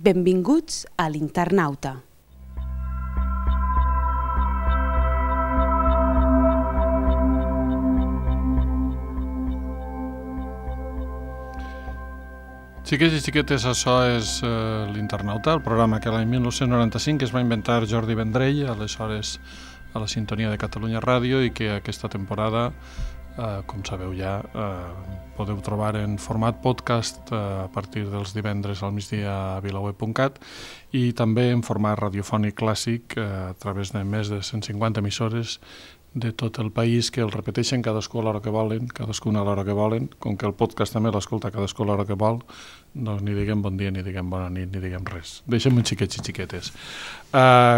Benvinguts a l'Internauta. Xiquets i xiquetes, això és l'Internauta, el programa que l'any 1995 es va inventar Jordi Vendrell, aleshores a la sintonia de Catalunya Ràdio, i que aquesta temporada, com sabeu ja, podeu trobar en format podcast a partir dels divendres al migdia a vilaweb.cat i també en format radiofònic clàssic a través de més de 150 emissores de tot el país que el repeteixen cadascú a l'hora que volen, cadascuna a l'hora que volen. Com que el podcast també l'escolta cadascú a l'hora que vol, doncs ni diguem bon dia, ni diguem bona nit, ni diguem res. Deixem un xiquets i xiquetes.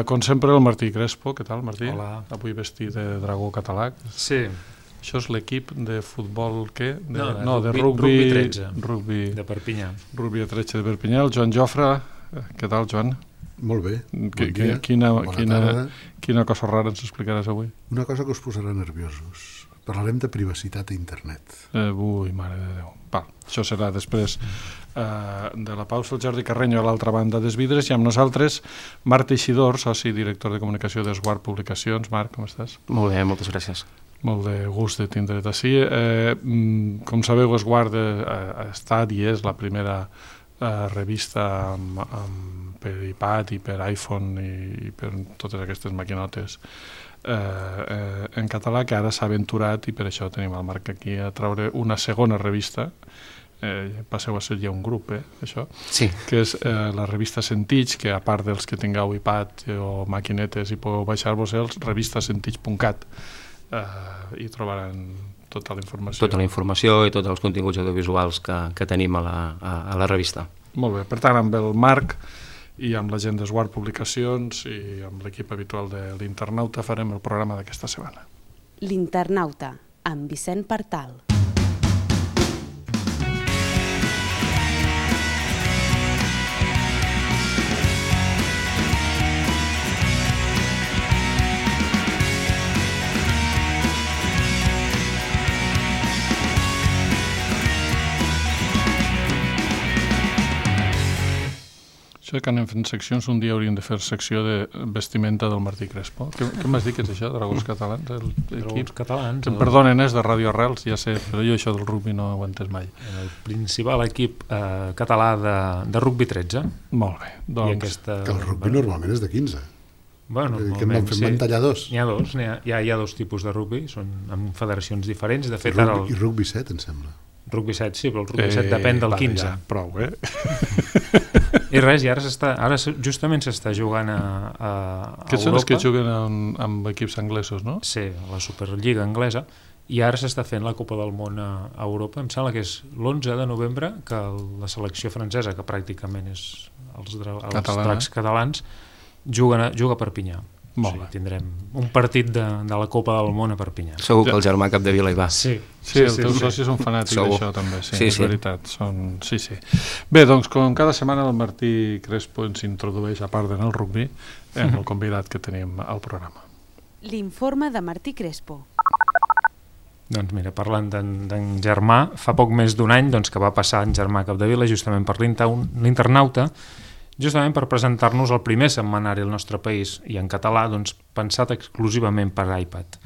Com sempre, el Martí Crespo. Què tal, Martí? Hola. Avui vestit de dragó català. Sí. Això és l'equip de futbol, què? De rugby 13. Rugby De Perpinyà. Rugby a 13 de Perpinyà. El Joan Jofre. Què tal, Joan? Molt bé, bon dia, quina cosa rara ens explicaràs avui? Una cosa que us posarà nerviosos. Parlarem de privacitat a internet. Ui, mare de Déu. Va, això serà després de la pausa. El Jordi Carreño a l'altra banda dels vidres i amb nosaltres Marc Teixidor, soci i director de comunicació d'Esguard Publicacions. Marc, com estàs? Molt bé, moltes gràcies. Molt de gust de tindre't ací. Com sabeu, Esguard ha estat i és la primera revista per iPad i per iPhone i per totes aquestes maquinotes en català, que ara s'ha aventurat, i per això tenim el Marc aquí, a treure una segona revista. Passeu a ser ja un grup, això, sí. Que és la revista Sentits, que a part dels que tingueu iPad o maquinetes i podeu baixar-vos-els, revistasentits.cat, i trobaran tota la informació. Tota la informació i tots els continguts audiovisuals que tenim a la revista. Molt bé, per tant, amb el Marc i amb la gent d'Esguard Publicacions i amb l'equip habitual de l'Internauta farem el programa d'aquesta setmana. L'Internauta, amb Vicent Partal. Això que anem fent seccions, un dia hauríem de fer secció de vestimenta del Martí Crespo. Què m'has dit que és això, Dragons Catalans? Dragons Catalans. Em perdonen, és de Radio Arrels, ja sé, però jo això del rugby no ho he entès mai. El principal equip català de rugby 13. Molt bé. Doncs... Que el rugby normalment és de 15. Bueno, que en van tallar dos. N'hi ha dos, hi ha dos tipus de rugby, són amb federacions diferents. De fet, I rugby 7, em sembla. Rugby 7, sí, però el rugby 7 depèn del 15. Ja, prou, I res, i ara justament s'està jugant a Europa. Aquests són els que juguen amb equips anglesos, no? Sí, a la Superliga anglesa, i ara s'està fent la Copa del Món a Europa. Em sembla que és l'11 de novembre que la selecció francesa, que pràcticament és els dracs catalans, juga a Perpinyà. Tindrem un partit de la Copa del Món a Perpinyà. Segur que el germà Capdevila hi va. Sí, els teus socis són fanàtics d'això també, és veritat. Sí. Bé, doncs com cada setmana el Martí Crespo ens introdueix, a part d'anar al rugby, amb el convidat que tenim al programa. L'informe de Martí Crespo. Doncs mira, parlant d'en Germà, fa poc més d'un any que va passar en Germà Capdevila justament per l'Internauta, justament per presentar-nos el primer setmanari al nostre país i en català, pensat exclusivament per iPad.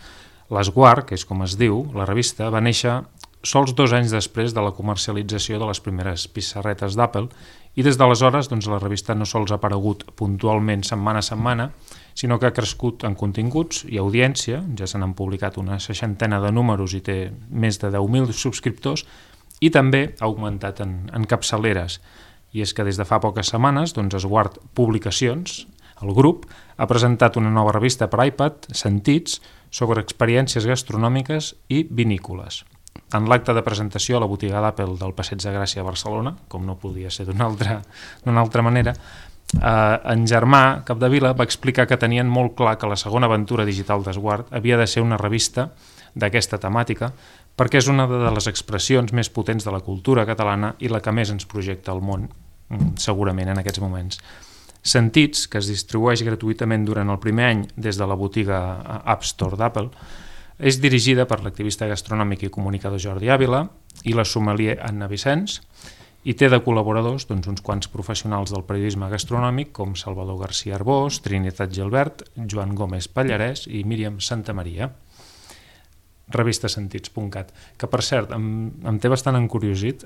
L'Esguard, que és com es diu, la revista, va néixer sols 2 anys després de la comercialització de les primeres pissarretes d'Apple i des d'aleshores la revista no sols ha aparegut puntualment setmana a setmana, sinó que ha crescut en continguts i audiència, ja se n'han publicat una 60 de números i té més de 10.000 subscriptors, i també ha augmentat en capçaleres. I és que des de fa poques setmanes, Esguard Publicacions, el grup, ha presentat una nova revista per iPad, Sentits, sobre experiències gastronòmiques i vinícoles. En l'acte de presentació a la botiga d'Apple del Passeig de Gràcia a Barcelona, com no podia ser d'una altra manera, en Germà Capdevila va explicar que tenien molt clar que la segona aventura digital d'Esguard havia de ser una revista d'aquesta temàtica, perquè és una de les expressions més potents de la cultura catalana i la que més ens projecta al món, segurament en aquests moments. Sentits, que es distribueix gratuïtament durant el primer any des de la botiga App Store d'Apple, és dirigida per l'activista gastronòmic i comunicador Jordi Ávila i la sommelier Anna Vicenç, i té de col·laboradors uns quants professionals del periodisme gastronòmic com Salvador García Arbós, Trinitat Gilbert, Joan Gómez Pallarès i Míriam Santamaria. Revistesentits.cat, que per cert em té bastant encuriosit,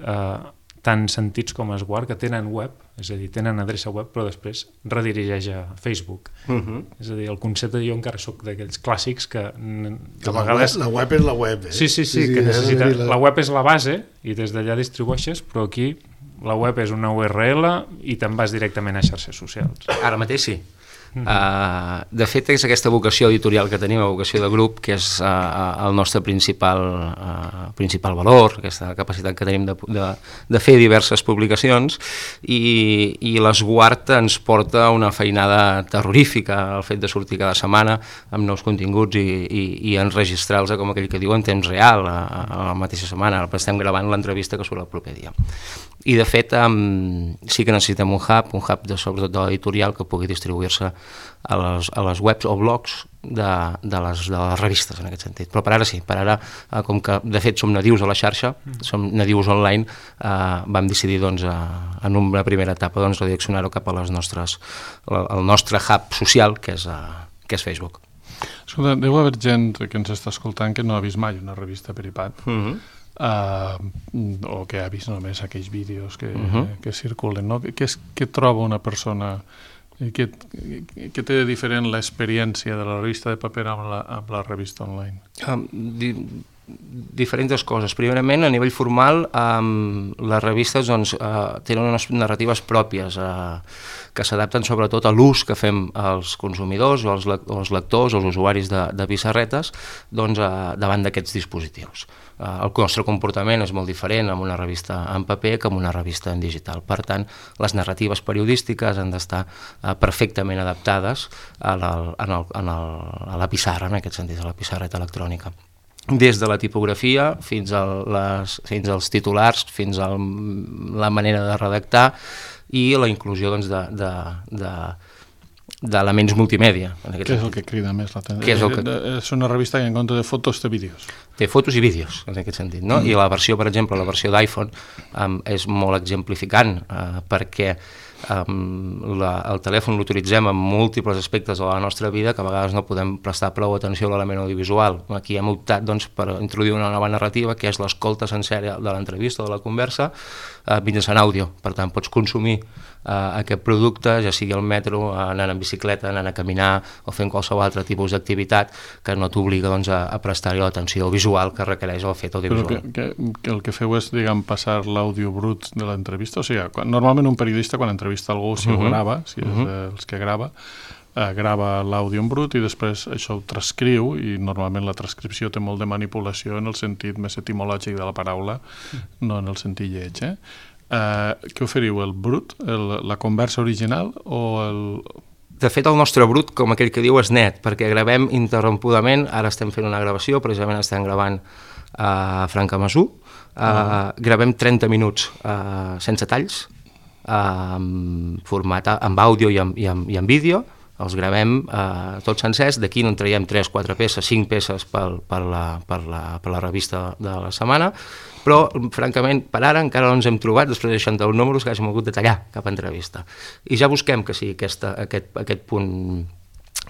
tant Sentits com Esguard, que tenen web, és a dir, tenen adreça web, però després redirigeix a Facebook. És a dir, el concepte, jo encara soc d'aquells clàssics que a vegades... La web és la web, Sí, que necessita... La web és la base i des d'allà distribueixes, però aquí la web és una URL i te'n vas directament a xarxes socials. Ara mateix sí. De fet, és aquesta vocació editorial que tenim, la vocació de grup, que és el nostre principal valor, aquesta capacitat que tenim de fer diverses publicacions, i l'Esguard ens porta una feinada terrorífica, el fet de sortir cada setmana amb nous continguts i enregistrar-los, com aquell que diu, en temps real, a la mateixa setmana. Estem gravant l'entrevista que surt el proper dia. I de fet sí que necessitem un hub sobretot de l'editorial, que pugui distribuir-se a les webs o blogs de les revistes, en aquest sentit. Però per ara sí, com que de fet som nadius a la xarxa, som nadius online, vam decidir en una primera etapa redireccionar-ho cap a al nostre hub social, que és Facebook. Escolta, deu haver gent que ens està escoltant que no ha vist mai una revista per iPad, o que ha vist només aquells vídeos que circulen, no? Què troba una persona, què té de diferent l'experiència de la revista de paper amb la revista online? Diferents coses. Primerament, a nivell formal, les revistes tenen unes narratives pròpies que s'adapten sobretot a l'ús que fem els consumidors o els lectors o els usuaris de pissarretes davant d'aquests dispositius. El nostre comportament és molt diferent amb una revista en paper que amb una revista en digital. Per tant, les narratives periodístiques han d'estar perfectament adaptades a la pissarra, en aquest sentit, a la pissarreta electrònica. Des de la tipografia fins als titulars, fins a la manera de redactar i la inclusió d'elements multimèdia. Què és el que crida més l'atenció? És una revista que en compte de fotos té vídeos. Té fotos i vídeos, en aquest sentit, no? I la versió, per exemple, la versió d'iPhone és molt exemplificant perquè el telèfon l'utilitzem en múltiples aspectes de la nostra vida que a vegades no podem prestar prou atenció a l'element audiovisual. Aquí hem optat per introduir una nova narrativa que és l'escolta sencera de l'entrevista o de la conversa mitjançant àudio. Per tant, pots consumir aquest producte, ja sigui al metro, anant en bicicleta, anant a caminar o fent qualsevol altre tipus d'activitat que no t'obliga a prestar-hi l'atenció visual que requereix el fet audiovisual. Però el que feu és, passar l'àudio brut de l'entrevista? O sigui, normalment un periodista quan entrevista algú, si ho grava, si és dels que grava l'àudio en brut i després això ho transcriu, i normalment la transcripció té molt de manipulació en el sentit més etimològic de la paraula, no en el sentit lleig, Què oferiu, el brut, la conversa original o el... De fet, el nostre brut, com aquell que diu, és net, perquè gravem interrompudament. Ara estem fent una gravació, precisament estem gravant a Francamassú. Gravem 30 minuts sense talls, format amb àudio i amb vídeo. Els gravem tots sencers, d'aquí en traiem 3, 4 peces, 5 peces per la revista de la setmana, però, francament, per ara encara no ens hem trobat, després de 61 números, que hàgim hagut de tallar cap entrevista. I ja busquem que sigui aquest punt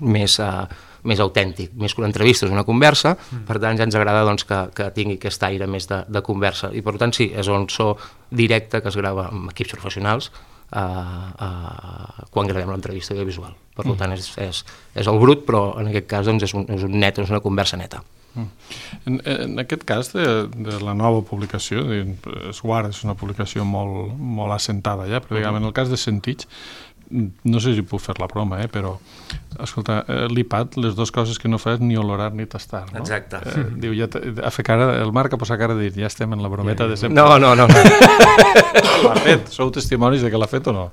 més autèntic, més que una entrevista, és una conversa, per tant ja ens agrada que tingui aquest aire més de conversa. I per tant sí, és un so directe que es grava amb equips professionals quan gravem l'entrevista audiovisual. Per tant és el brut, però en aquest cas és un net, és una conversa neta. En aquest cas de la nova publicació, Esguard és una publicació molt assentada ja, però en el cas de Sentits, no sé si puc fer la broma, però escolta, l'iPad, les dues coses que no fa és ni olorar ni tastar, no? Exacte. Diu, el Marc ha posat cara de dir, ja estem en la brometa de sempre. No. L'ha fet, sou testimonis de que l'ha fet o no?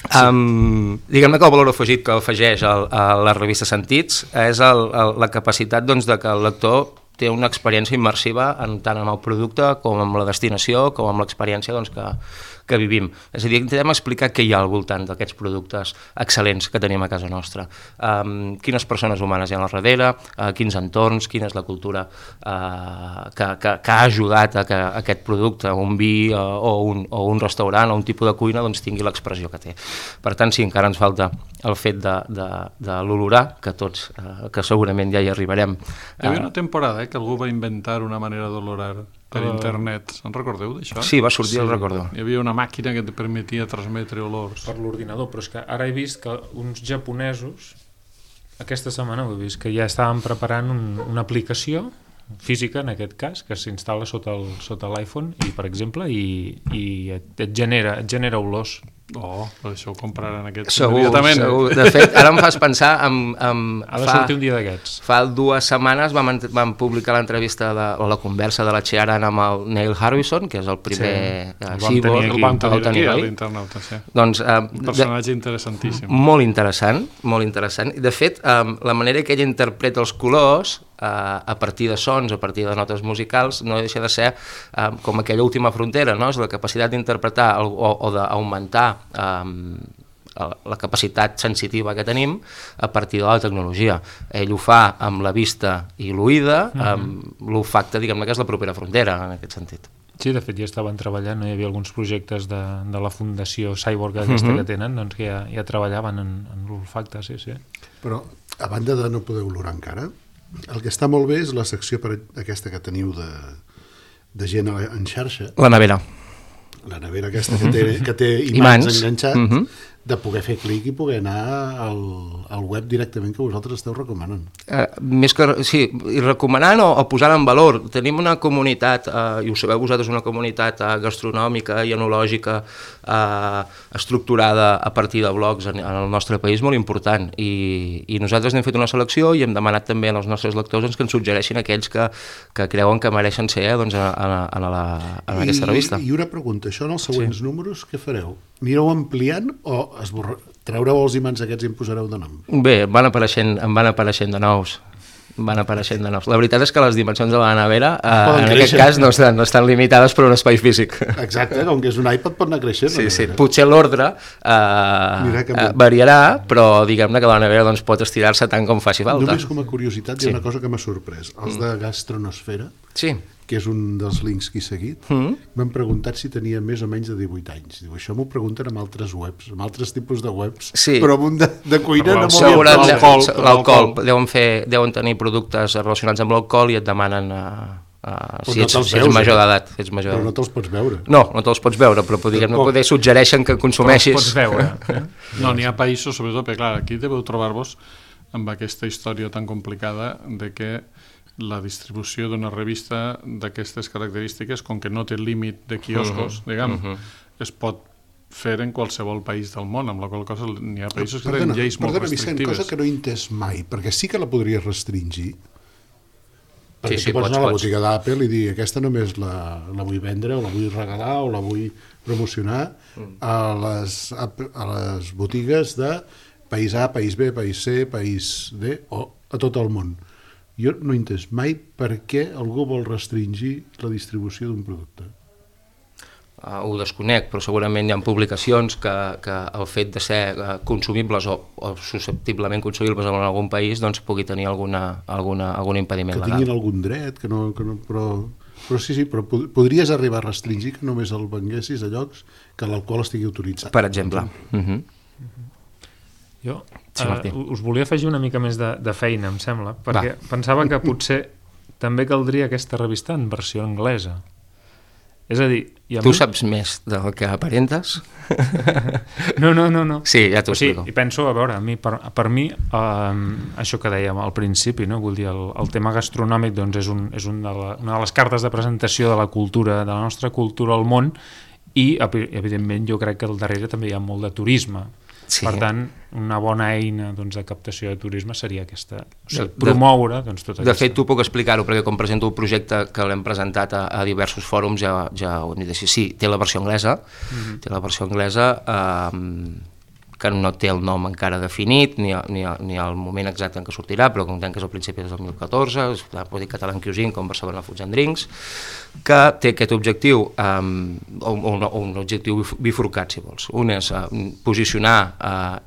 Diguem-ne que el valor afegit que afegeix a la revista Sentits és la capacitat de que el lector té una experiència immersiva tant amb el producte com amb la destinació, com amb l'experiència que vivim. És a dir, intentem explicar què hi ha al voltant d'aquests productes excel·lents que tenim a casa nostra. Quines persones humanes hi ha al darrere, quins entorns, quina és la cultura que ha ajudat a que aquest producte, un vi o un restaurant o un tipus de cuina, doncs tingui l'expressió que té. Per tant, sí, encara ens falta el fet de l'olorar, que segurament ja hi arribarem. Hi havia una temporada que algú va inventar una manera d'olorar per internet. En recordeu d'això? Sí, va sortir, el recordo. Hi havia una màquina que et permetia transmetre olors. Per l'ordinador, però és que ara he vist que uns japonesos, aquesta setmana ho he vist, que ja estaven preparant una aplicació física, en aquest cas, que s'instal·la sota l'iPhone, i per exemple, i et genera olors. Per això ho compraran aquests immediatament. Segur. De fet, ara em fas pensar ha de sortir un dia d'aquests. Fa 2 setmanes vam publicar l'entrevista o la conversa de la Chiaran amb el Neil Harbisson, que és el primer cyborg, el vam tenir aquí a l'internauta. Doncs, un personatge interessantíssim. Molt interessant. De fet, la manera que ell interpreta els colors a partir de sons, a partir de notes musicals, no deixa de ser com aquella última frontera, no? És la capacitat d'interpretar o d'augmentar la capacitat sensitiva que tenim a partir de la tecnologia. Ell ho fa amb la vista i l'oïda, amb l'olfacte, diguem-ne, que és la propera frontera, en aquest sentit. Sí, de fet ja estaven treballant, hi havia alguns projectes de la Fundació Cyborg aquesta que tenen, doncs que ja treballaven en l'olfacte, sí. Però, a banda de no poder olorar encara, el que està molt bé és la secció aquesta que teniu de gent en xarxa. La nevera. La nevera aquesta que té imants enganxats, de poder fer clic i poder anar al web directament que vosaltres esteu recomanant. Més que, sí, i recomanant o posant en valor. Tenim una comunitat, i ho sabeu vosaltres, una comunitat gastronòmica i enològica estructurada a partir de blogs en el nostre país molt important, i nosaltres n'hem fet una selecció i hem demanat també als nostres lectors que ens suggereixin aquells que creuen que mereixen ser en aquesta revista. I una pregunta, això en els següents números què fareu? Anireu ampliant o treureu els imants aquests i en posareu de nom? Bé, van apareixent de nous. La veritat és que les dimensions de la nevera en aquest cas no estan limitades per un espai físic. Exacte, com que és un iPad pot anar creixent. Sí. Potser l'ordre variarà, però diguem-ne que la nevera doncs, pot estirar-se tant com faci falta. Només com a curiositat hi ha una cosa que m'ha sorprès. Els de Gastronosfera, que és un dels links que he seguit, m'han preguntat si tenia més o menys de 18 anys. Diu, això m'ho pregunten amb altres webs, amb altres tipus de webs, però amb un de cuina no m'ho havia pensat. L'alcohol. Deuen tenir productes relacionats amb l'alcohol i et demanen si ets major d'edat. Però no te'ls pots veure. No te'ls pots veure, però poder suggereixen que consumeixis. Però els pots veure. No, n'hi ha països, sobretot, perquè clar, aquí deveu trobar-vos amb aquesta història tan complicada de que la distribució d'una revista d'aquestes característiques, com que no té límit de quioscos, es pot fer en qualsevol país del món, amb la qual cosa n'hi ha països que tenen lleis molt restrictives. Vicent, cosa que no he entès mai, perquè sí que la podries restringir, perquè tu pots anar a la botiga d'Apple i dir aquesta només la vull vendre, o la vull regalar, o la vull promocionar a les botigues de país A, país B, país C, país D, o a tot el món. Jo no he entès mai per què algú vol restringir la distribució d'un producte. Ho desconec, però segurament hi ha publicacions que el fet de ser consumibles o susceptiblement consumibles en algun país doncs pugui tenir algun impediment legal. Que tinguin algun dret, però sí, però podries arribar a restringir que només el venguessis a llocs que l'alcohol estigui autoritzat. Per exemple. Jo us volia afegir una mica més de feina, em sembla, perquè pensava que potser també caldria aquesta revista en versió anglesa. És a dir... Tu saps més del que aparentes? No. Sí, ja t'ho explico. I penso, a veure, per mi, això que dèiem al principi, no? Vull dir, el tema gastronòmic doncs, és una de les cartes de presentació de la cultura, de la nostra cultura al món, i, evidentment, jo crec que al darrere també hi ha molt de turisme. Sí. Per tant, una bona eina de captació de turisme seria aquesta, promoure tota aquesta... De fet, t'ho puc explicar-ho, perquè com presento el projecte que l'hem presentat a diversos fòrums, ja ho hem dit així. Sí, té la versió anglesa, que no té el nom encara definit, ni el moment exacte en què sortirà, però comptem que és al principi del 2014, pot dir Catalan Cuisine com Barcelona Foods and Drinks, que té aquest objectiu, un objectiu bifurcat, si vols. Un és posicionar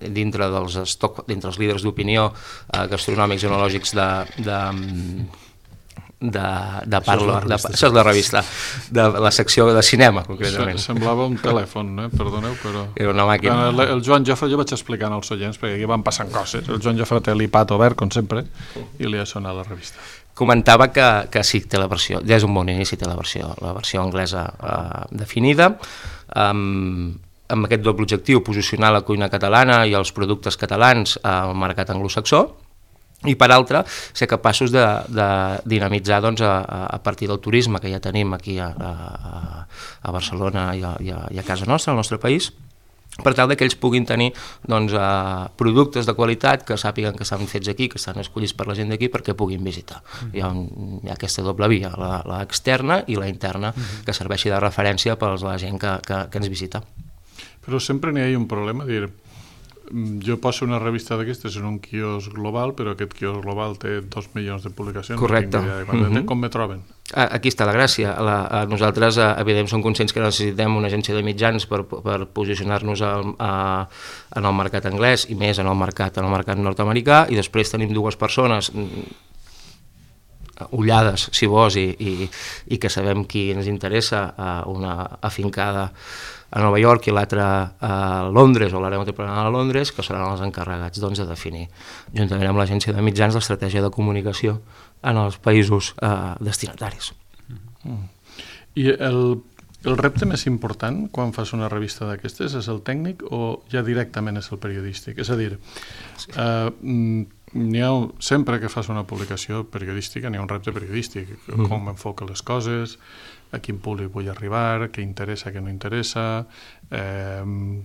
dintre dels líders d'opinió gastronòmics i enològics de parla, això és la revista, de la secció de cinema, concretament. Semblava un telèfon, perdoneu, però... Era una màquina. El Joan Jofre, jo vaig explicant als oients, perquè aquí van passant coses. El Joan Jofre té l'iPad obert, com sempre, i li ha sonat la revista. Comentava que sí, té la versió, ja és un bon inici, té la versió anglesa definida, amb aquest doble objectiu, posicionar la cuina catalana i els productes catalans al mercat anglosaxó, i per altra, ser capaços de dinamitzar a partir del turisme que ja tenim aquí a Barcelona i a casa nostra, al nostre país, per tal que ells puguin tenir productes de qualitat que sàpiguen que estan fets aquí, que estan escollits per la gent d'aquí perquè puguin visitar. Hi ha aquesta doble via, la externa i la interna, que serveixi de referència per a la gent que ens visita. Però sempre n'hi ha un problema, jo poso una revista d'aquestes en un quiosc global, però aquest quiosc global té 2 milions de publicacions. Correcte. Com me troben? Aquí està la gràcia. Nosaltres, evidentment, som conscients que necessitem una agència de mitjans per posicionar-nos en el mercat anglès i més en el mercat nord-americà, i després tenim 2 persones ullades, si vols, i que sabem qui ens interessa, una afincada a Nova York i l'altra a Londres, o l'àrea metropolitana de Londres, que seran els encarregats de definir, juntament amb l'agència de mitjans, l'estratègia de comunicació en els països destinataris. I el repte més important quan fas una revista d'aquestes és el tècnic o ja directament és el periodístic? És a dir, sempre que fas una publicació periodística n'hi ha un repte periodístic, com enfoca les coses, a quin públic vull arribar, què interessa, què no interessa,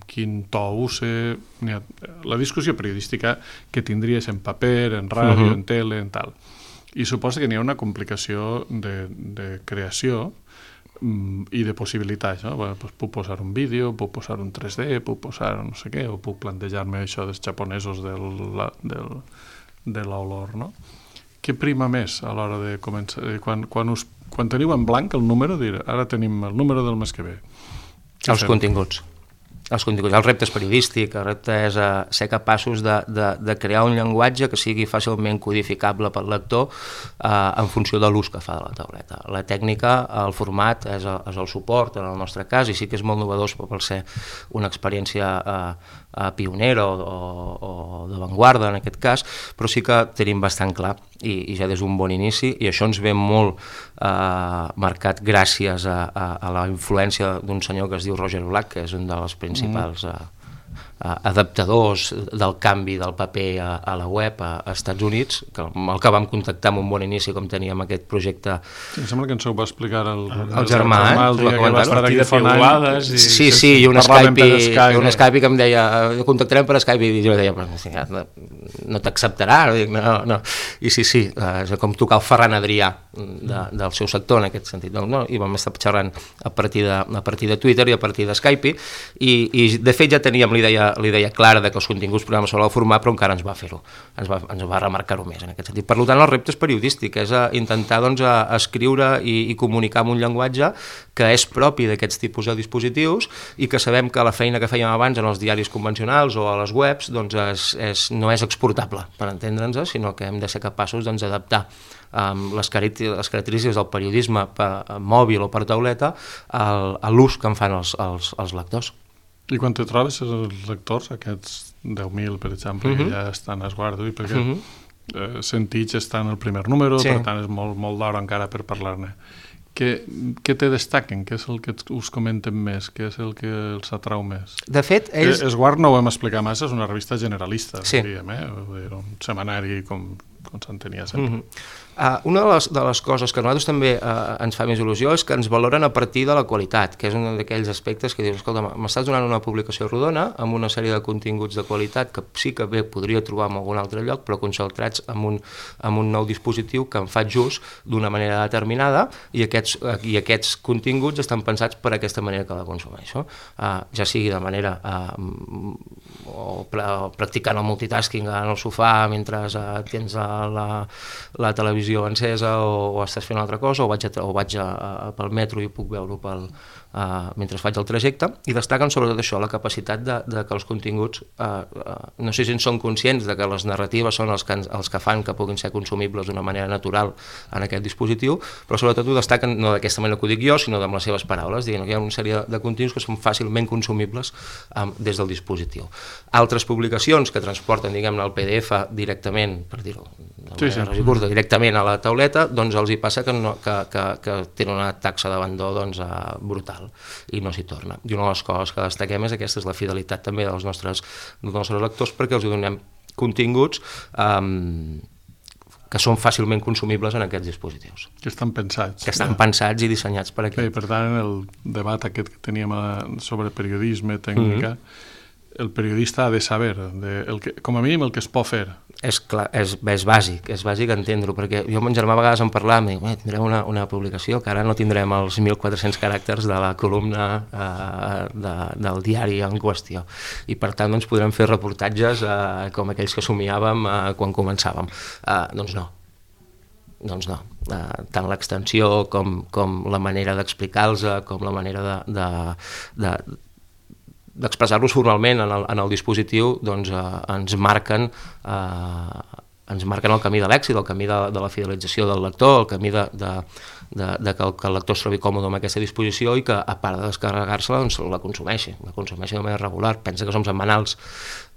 quin to use... La discussió periodística que tindries en paper, en ràdio, en tele, en tal. I suposa que n'hi ha una complicació de creació i de possibilitats, no? Pues puc posar un vídeo, puc posar un 3D, puc posar no sé què, o puc plantejar-me això dels japonesos de l'olor, no? Què prima més a l'hora de començar? Quan teniu en blanc el número, ara tenim el número del mes que ve. Els continguts. El repte és periodístic, el repte és ser capaços de crear un llenguatge que sigui fàcilment codificable pel lector en funció de l'ús que fa de la tauleta. La tècnica, el format, és el suport en el nostre cas, i sí que és molt novedós per ser una experiència pionera o d'avantguarda en aquest cas, però sí que tenim bastant clar i ja des d'un bon inici, i això ens ve molt marcat gràcies a la influència d'un senyor que es diu Roger Black, que és un dels principals adaptadors del canvi del paper a la web a Estats Units, amb el que vam contactar amb un bon inici com teníem aquest projecte. Sí, em sembla que ens ho va explicar el germà, el dia que va estar aquí fa un any. Sí, i un Skype que em deia, contactarem per Skype, i jo deia, no t'acceptarà, no. I sí, és com tocar el Ferran Adrià del seu sector en aquest sentit, i vam estar xerrant a partir de Twitter i a partir de Skype, i de fet ja teníem l'idea clara de que els continguts programes sobre el format, però encara ens va fer-ho, ens va remarcar-ho més en aquest sentit. Per tant, el repte és periodístic, és intentar escriure i comunicar amb un llenguatge que és propi d'aquests tipus de dispositius i que sabem que la feina que fèiem abans en els diaris convencionals o a les webs no és exportable, per entendre'ns, sinó que hem de ser capaços d'adaptar les característiques del periodisme mòbil o per tauleta a l'ús que en fan els lectors. I quan te trobes els lectors, aquests 10.000, per exemple, que ja estan a esguardo, i perquè Sentits està en el primer número, per tant és molt d'hora encara per parlar-ne. Què te destaquen? Què és el que us comenten més? Què és el que els atrau més? De fet, ells... Esguard no ho hem explicat massa, és una revista generalista, diríem, un setmanari com s'entenia sempre. Una de les coses que a nosaltres també ens fa més il·lusió és que ens valoren a partir de la qualitat, que és un d'aquells aspectes que dius, escolta, m'estàs donant una publicació rodona amb una sèrie de continguts de qualitat que sí que bé podria trobar en algun altre lloc, però concentrats en un nou dispositiu que em faig ús d'una manera determinada, i aquests continguts estan pensats per aquesta manera que la consumeixo, ja sigui de manera practicant el multitasking en el sofà mentre tens la televisió encesa o estàs fent una altra cosa, o vaig pel metro i puc veure-ho mentre faig el trajecte, i destaquen sobretot això, la capacitat de que els continguts, no sé si en són conscients de que les narratives són els que fan que puguin ser consumibles d'una manera natural en aquest dispositiu, però sobretot ho destaquen no d'aquesta manera que ho dic jo, sinó amb les seves paraules, dient que hi ha una sèrie de continguts que són fàcilment consumibles des del dispositiu. Altres publicacions que transporten, diguem-ne, el PDF directament, per dir-ho curta, directament a la tauleta, doncs els hi passa que tenen una taxa d'abandó brutal i no s'hi torna. I una de les coses que destaquem és aquesta, és la fidelitat també dels nostres lectors, perquè els donem continguts que són fàcilment consumibles en aquests dispositius. Que estan pensats. Que estan pensats i dissenyats per aquest. I per tant, en el debat aquest que teníem sobre periodisme, tècnica, el periodista ha de saber, com a mínim, el que es pot fer. És bàsic entendre-ho, perquè jo amb mon germà a vegades en parlàvem i dic, tindrem una publicació que ara no tindrem els 1.400 caràcters de la columna del diari en qüestió, i per tant doncs, podrem fer reportatges com aquells que somiàvem quan començàvem. Doncs no. Tant l'extensió com la manera d'explicar-los, com la manera d'expressar-los formalment en el dispositiu, doncs ens marquen el camí de l'èxit, el camí de la fidelització del lector, el camí de que el lector es trobi còmode amb aquesta disposició i que, a part de descarregar-se-la, doncs la consumeixi de manera regular. Pensa que som setmanals,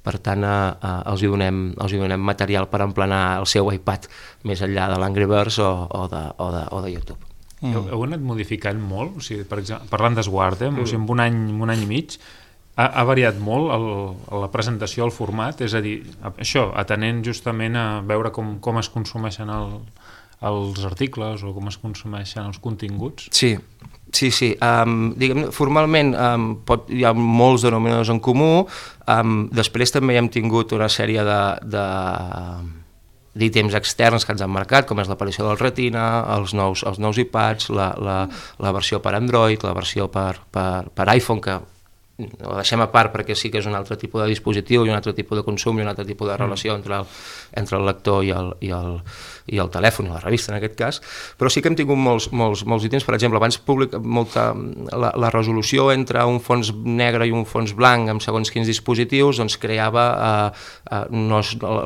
per tant els hi donem material per emplenar el seu iPad més enllà de l'Angry Birds o de YouTube. Heu anat modificant molt? O sigui, per exemple, parlant d'Esguard, o sigui, en un any i mig, ha variat molt la presentació, el format, és a dir, això, atenent justament a veure com es consumeixen els articles o com es consumeixen els continguts? Sí. Formalment hi ha molts denominadors en comú, després també hem tingut una sèrie d'ítems externs que ens han marcat, com és l'aparició del Retina, els nous iPads, la versió per Android, la versió per iPhone, que ho deixem a part perquè sí que és un altre tipus de dispositiu i un altre tipus de consum i un altre tipus de relació entre el lector i el telèfon, i la revista en aquest cas, però sí que hem tingut molts ítems. Per exemple, abans la resolució entre un fons negre i un fons blanc amb segons quins dispositius doncs creava la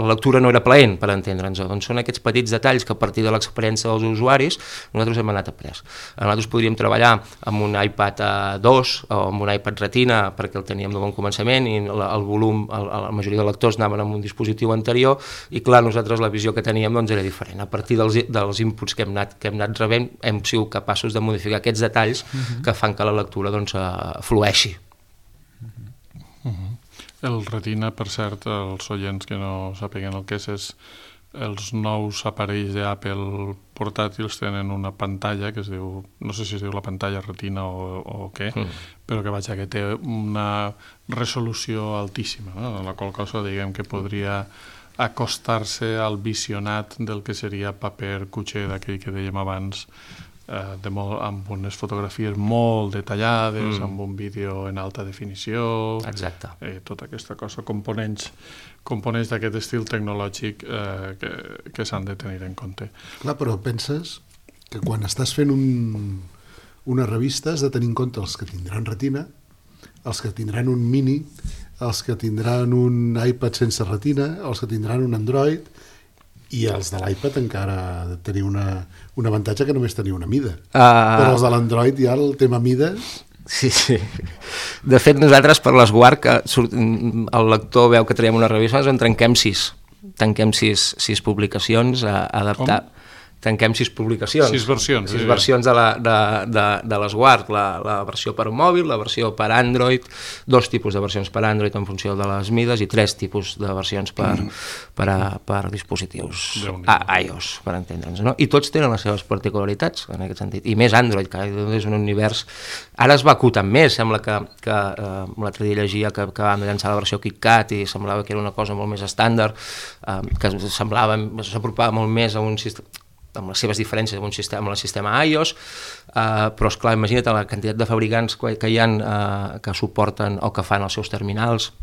lectura no era plaent, per entendre'ns, doncs són aquests petits detalls que a partir de l'experiència dels usuaris nosaltres hem anat après. Nosaltres podríem treballar amb un iPad 2 o amb un iPad Retina perquè el teníem de bon començament i el volum, la majoria de lectors anaven amb un dispositiu anterior i clar, nosaltres la visió que teníem doncs era diferent. A partir dels inputs que hem anat rebent hem sigut capaços de modificar aquests detalls que fan que la lectura doncs flueixi. El Retina, per cert, els oients que no sàpiguen el que és els nous aparells d'Apple portàtils tenen una pantalla que es diu, no sé si es diu la pantalla Retina o què, però que té una resolució altíssima, no? La qual cosa diguem que podria acostar-se al visionat del que seria paper cuixé d'aquell que dèiem abans, amb unes fotografies molt detallades, amb un vídeo en alta definició. Exacte. Tota aquesta cosa, components d'aquest estil tecnològic que s'han de tenir en compte. Clar, però penses que quan estàs fent una revista has de tenir en compte els que tindran Retina, els que tindran un Mini, els que tindran un iPad sense Retina, els que tindran un Android, i els de l'iPad encara tenir un avantatge que només tenia una mida. Però els de l'Android ja el tema mides... Sí. De fet, nosaltres per l'Esguard, que el lector veu que traiem una revista, en tanquem 6. Tanquem 6 publicacions a adaptar. Tanquem 6 publicacions. 6 versions. 6 versions de l'Esguard. La versió per mòbil, la versió per Android, 2 tipus de versions per Android en funció de les mides i 3 tipus de versions per dispositius iOS, per entendre'ns, no? I tots tenen les seves particularitats en aquest sentit. I més Android, que és un univers... Ara es va acotant més, sembla que l'altre dia llegia que van llançar la versió KitKat i semblava que era una cosa molt més estàndard, que s'apropava molt més a un sistema amb les seves diferències amb el sistema iOS, però esclar, imagina't la quantitat de fabricants que hi ha que suporten o que fan els seus terminals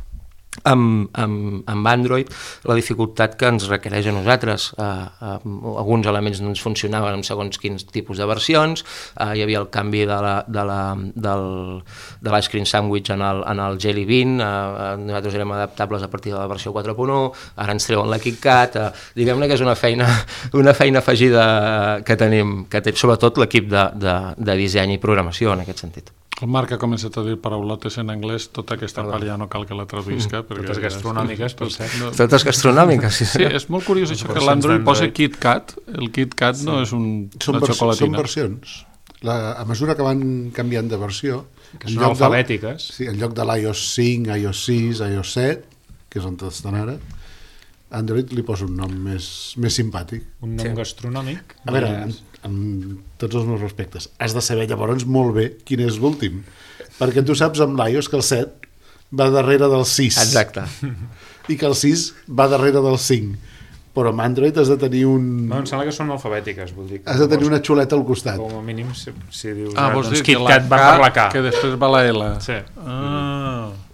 amb Android la dificultat que ens requereix a nosaltres. Alguns elements no ens funcionaven amb segons quins tipus de versions, hi havia el canvi de l'ice cream sandwich en el Jelly Bean, nosaltres érem adaptables a partir de la versió 4.1, ara ens treuen la KitKat, diguem-ne que és una feina afegida que tenim, sobretot l'equip de disseny i programació en aquest sentit. El Marc ha començat a dir paraulotes en anglès, tota aquesta part ja no cal que la traduïsca. Totes gastronòmiques, per cert. Totes gastronòmiques, sí. Sí, és molt curiós això que l'Android posa KitKat. El KitKat no és una xocolatina. Són versions. A mesura que van canviant de versió... Que són alfabètiques. Sí, en lloc de l'iOS 5, iOS 6, iOS 7, que és on estan ara, Android li posa un nom més simpàtic. Un nom gastronòmic. A veure, amb tots els meus respectes, has de saber llavors molt bé quin és l'últim, perquè tu saps amb l'iOS que el 7 va darrere del 6. Exacte. I que el 6 va darrere del 5. Però amb Android has de tenir un... No, em sembla que són alfabètiques, vull dir. Has de tenir una xuleta al costat. Com a mínim, si dius... Vols dir que KitKat va per la K. Que després va la L. Sí.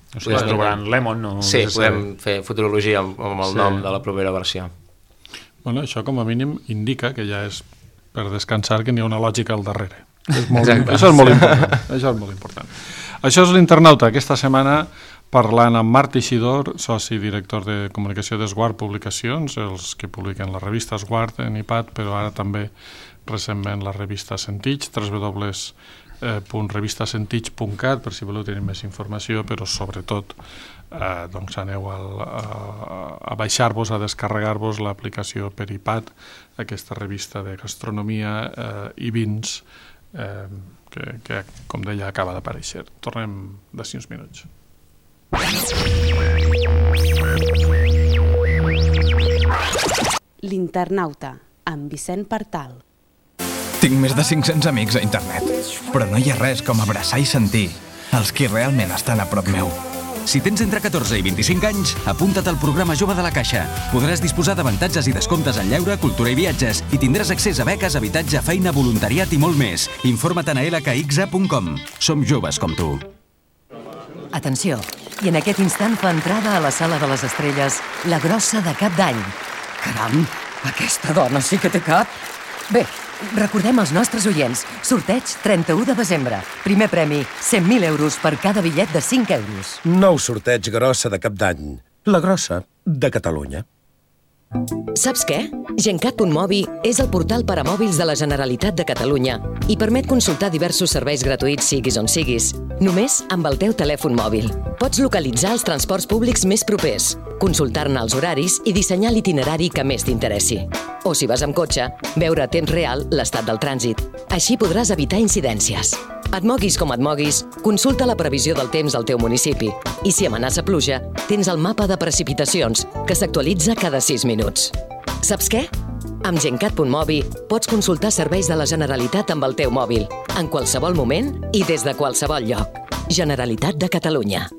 No sé, es trobaran Lemon o... Sí, podem fer futurologia amb el nom de la propera versió. Bueno, això com a mínim indica que ja és per descansar que n'hi ha una lògica al darrere. Això és molt important. Això és molt important. Això és l'Internauta. Aquesta setmana parlant amb Marc Teixidor, soci i director de comunicació d'Esguard Publicacions, els que publiquen la revista Esguard en iPad, però ara també recentment la revista Sentits, www.revistasentits.cat, per si voleu tenir més informació, però sobretot doncs aneu a baixar-vos, a descarregar-vos l'aplicació per iPad, aquesta revista de gastronomia i vins que, com deia, acaba d'aparèixer. Tornem d'ací uns minuts. L'Internauta, amb Vicent Partal. Tinc més de 500 amics a internet, però no hi ha res com abraçar i sentir els qui realment estan a prop meu. Si tens entre 14 i 25 anys, apunta't al programa Jove de la Caixa. Podràs disposar d'avantatges i descomptes en lleure, cultura i viatges i tindràs accés a beques, habitatge, feina, voluntariat i molt més. Informa't a lkxa.com. Som joves com tu. Atenció, i en aquest instant fa entrada a la Sala de les Estrelles la grossa de Cap d'Any. Caram, aquesta dona sí que té cap. Bé, recordem als nostres oients, sorteig 31 de desembre. Primer premi, 100.000 euros per cada bitllet de 5 euros. Nou sorteig grossa de Cap d'Any. La grossa de Catalunya. Saps què? Gencat.mobi és el portal per a mòbils de la Generalitat de Catalunya i permet consultar diversos serveis gratuïts siguis on siguis, només amb el teu telèfon mòbil. Pots localitzar els transports públics més propers, consultar-ne els horaris i dissenyar l'itinerari que més t'interessi. O si vas amb cotxe, veure a temps real l'estat del trànsit. Així podràs evitar incidències. Et moguis com et moguis, consulta la previsió del temps al teu municipi. I si amenaça pluja, tens el mapa de precipitacions, que s'actualitza cada 6 minuts. Saps què? Amb Gencat.mobi pots consultar serveis de la Generalitat amb el teu mòbil, en qualsevol moment i des de qualsevol lloc. Generalitat de Catalunya.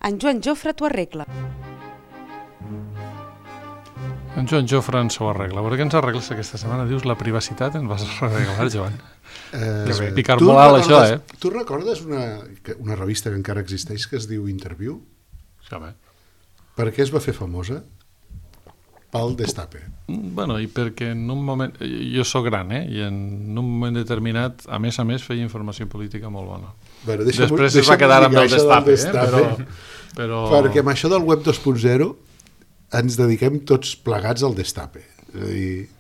En Joan Jofre t'ho arregla. En Joan Jofre ens ho arregla. Per què ens arregles aquesta setmana? Dius la privacitat, ens vas arreglar, Joan. Picar molt alt, això, Tu recordes una revista que encara existeix que es diu Interview? Sí, home. Per què es va fer famosa? Pel Destape. Bueno, i perquè en un moment... Jo sóc gran, i en un moment determinat, a més, feia informació política molt bona. Bueno, després es va quedar amb el Destape, però... Perquè amb això del web 2.0 ens dediquem tots plegats al Destape. És a dir,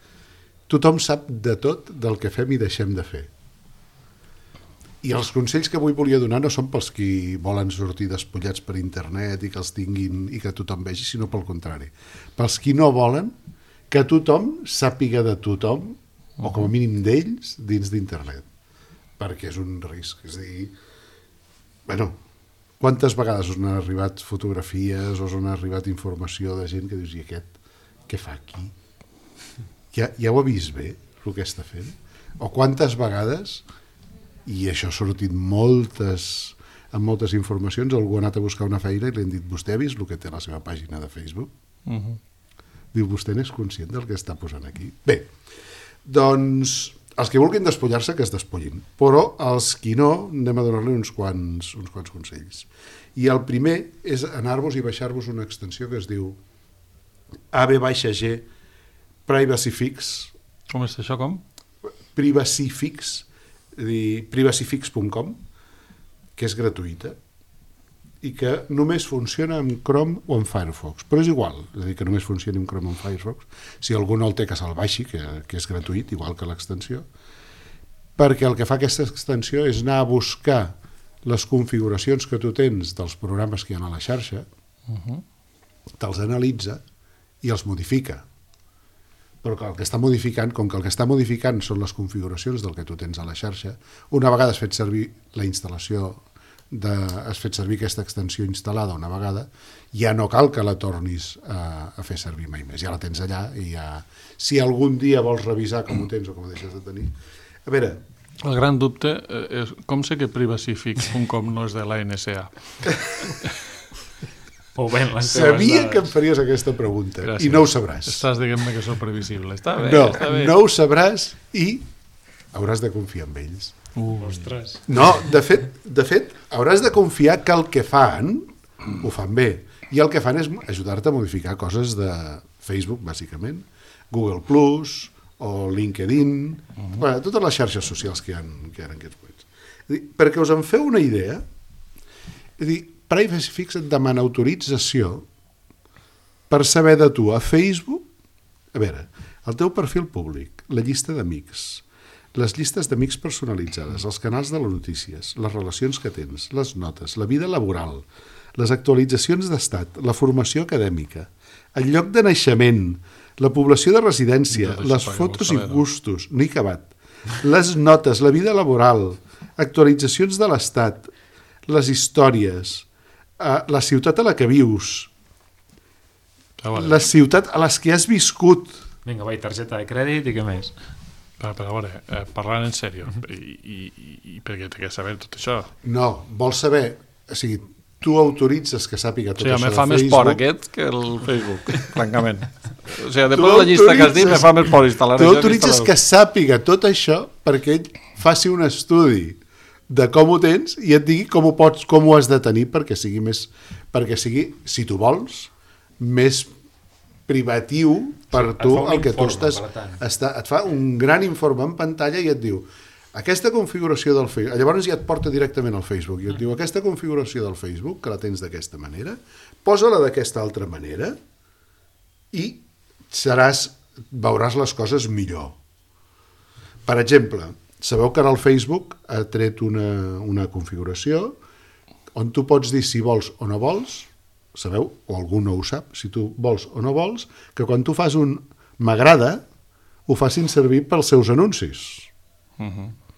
tothom sap de tot del que fem i deixem de fer. I els consells que avui volia donar no són pels qui volen sortir despullats per internet i que els tinguin i que tothom vegi, sinó pel contrari. Pels qui no volen que tothom sàpiga de tothom, o com a mínim d'ells, dins d'internet. Perquè és un risc. És a dir, bueno, Quantes vegades us han arribat fotografies o us han arribat informació de gent que dius, i aquest, què fa aquí? Ja ho ha vist bé, el que està fent? O quantes vegades, i això ha sortit amb moltes informacions, algú ha anat a buscar una feina i li han dit, vostè ha vist el que té a la seva pàgina de Facebook? Diu, vostè n'és conscient del que està posant aquí? Bé, doncs, els que vulguin despullar-se, que es despullin, però els qui no, anem a donar-li uns quants consells. I el primer és anar-vos i baixar-vos una extensió que es diu AV-G Privacy Fix. Com és això, com? Privacy Fix, privacyfix.com, que és gratuïta i que només funciona amb Chrome o amb Firefox, però és igual, és a dir, que només funcioni amb Chrome o amb Firefox. Si algú no el té, que se'l baixi, que és gratuït, igual que l'extensió, perquè el que fa aquesta extensió és anar a buscar les configuracions que tu tens dels programes que hi ha a la xarxa, te'ls analitza i els modifica. Però que el que està modificant, com que el que està modificant són les configuracions del que tu tens a la xarxa, una vegada has fet servir la instal·lació, has fet servir aquesta extensió instal·lada una vegada, ja no cal que la tornis a fer servir mai més. Ja la tens allà i ja... Si algun dia vols revisar com ho tens o com ho deixes de tenir... A veure... El gran dubte és com sé que privacyfix.com no és de la NSA. Sabia que em faries aquesta pregunta. Gràcies. I no ho sabràs. Estàs dient-me que sóc previsible. Està bé, no, està bé. No ho sabràs i hauràs de confiar en ells. Ostres. No, de fet, hauràs de confiar que el que fan ho fan bé. I el que fan és ajudar-te a modificar coses de Facebook, bàsicament, Google Plus o LinkedIn, bueno, totes les xarxes socials que hi ha en aquests moments. Perquè us en feu una idea, és dir, Privacy Fix et demana autorització per saber de tu a Facebook, a veure, el teu perfil públic, la llista d'amics, les llistes d'amics personalitzades, els canals de les notícies, les relacions que tens, les notes, la vida laboral, les actualitzacions d'estat, la formació acadèmica, el lloc de naixement, la població de residència, les fotos i gustos, no he acabat, les notes, la vida laboral, actualitzacions de l'estat, les històries, la ciutat a la que vius, la ciutat a les que has viscut. Vinga, vai, targeta de crèdit i què més? Però a veure, parlant en sèrio, i perquè t'he de saber tot això. No, vols saber, o sigui, tu autoritzes que sàpiga tot això de Facebook. Me fa més por aquest que el Facebook, francament. O sigui, després de la llista que has dit, me fa més por instal·lar això. Tu autoritzes que sàpiga tot això perquè ell faci un estudi de com ho tens i et digui com ho has de tenir perquè sigui, si tu vols, més privatiu per tu el que tu estàs... Et fa un gran informe en pantalla i et diu aquesta configuració del Facebook, llavors ja et porta directament al Facebook i et diu aquesta configuració del Facebook, que la tens d'aquesta manera, posa-la d'aquesta altra manera i veuràs les coses millor. Per exemple, sabeu que ara el Facebook ha tret una configuració on tu pots dir si vols o no vols, sabeu, o algú no ho sap, si tu vols o no vols, que quan tu fas un m'agrada, ho facin servir pels seus anuncis.